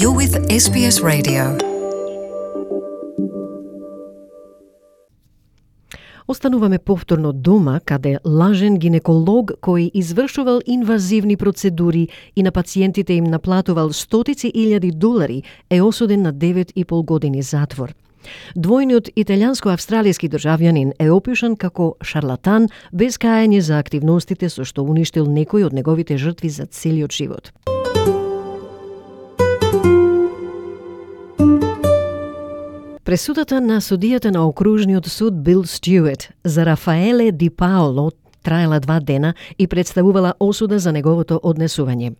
You're with SBS Radio. Остануваме повторно дома, каде лажен гинеколог кој извршувал инвазивни процедури и на пациентите им наплатувал стотици илјади долари е осуден на 9,5 години затвор. Двојниот италијанско-австралијски државјанин е опишан како шарлатан без каење за активностите со што уништил некои од неговите жртви за целиот живот. Пресудата на судијата на окружниот суд Бил Стюарт за Рафаеле Ди Паоло траела 2 дена и представувала осуда за неговото однесување.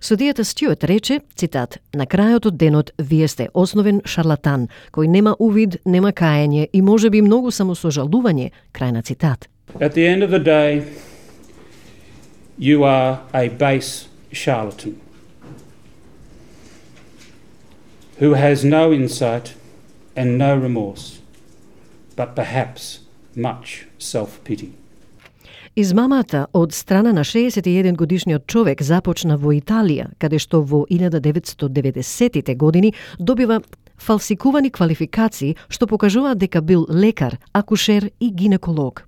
Судијата Стюарт рече, цитат, "На крајот од денот вие сте основен шарлатан, кој нема увид, нема каење и можеби многу самосожалување", крај на цитат. At the end of the day, you are a base charlatan who has no insight and no remorse, but perhaps much self-pity. Измамата од страна на 61 годишниот човек започна во Италија, каде што во 1990-тите години добива фалсикувани квалификации што покажуваат дека бил лекар, акушер и гинеколог.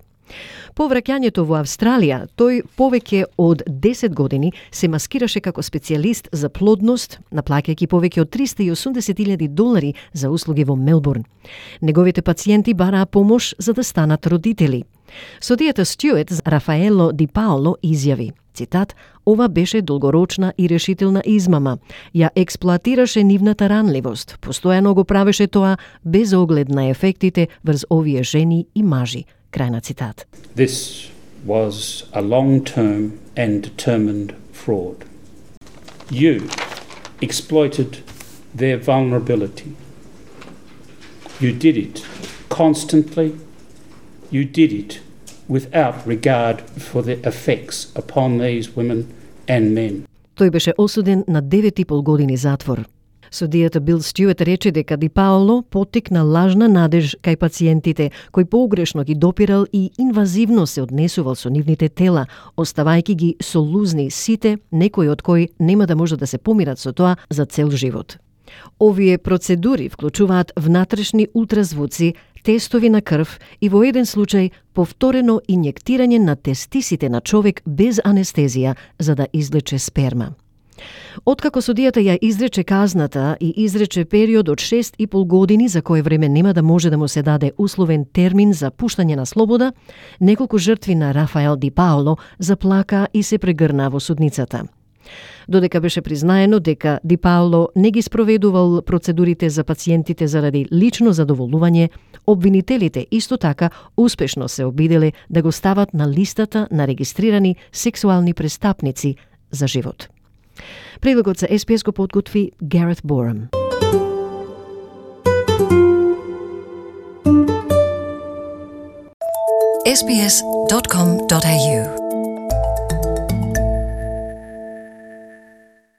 По враќањето во Австралија, тој повеќе од 10 години се маскираше како специјалист за плодност, наплаќајќи повеќе од 380,000 долари за услуги во Мелбурн. Неговите пациенти бараа помош за да станат родители. Судијата Стюарт за Рафаело Ди Паоло изјави, цитат, "Ова беше долгорочна и решителна измама. Ја експлоатираше нивната ранливост. Постојано го правеше тоа без оглед на ефектите врз овие жени и мажи." Крај на цитат. This was a long-term and determined fraud. You exploited their vulnerability. You did it constantly. You did it without regard for the effects upon these women and men. Тој беше осуден на 9,5 години затвор. Судијата Бил Стюарт рече дека Ди Паоло поттикна лажна надеж кај пациентите, кој погрешно ги допирал и инвазивно се однесувал со нивните тела, оставајќи ги со лузни сите, некои од кои нема да може да се помират со тоа за цел живот. Овие процедури вклучуваат внатрешни ултразвуци, тестови на крв и во еден случај повторено инјектирање на тестисите на човек без анестезија за да извлече сперма. Откако судијата ја изрече казната и изрече период од 6,5 години за кое време нема да може да му се даде условен термин за пуштање на слобода, неколку жртви на Рафаел Ди Паоло заплака и се прегрна во судницата. Додека беше признаено дека Ди Паоло не ги спроведувал процедурите за пациентите заради лично задоволување, обвинителите исто така успешно се обиделе да го стават на листата на регистрирани сексуални престапници за живот. Прилогот за SBS го подготви Гарет Борам. sbs.com.au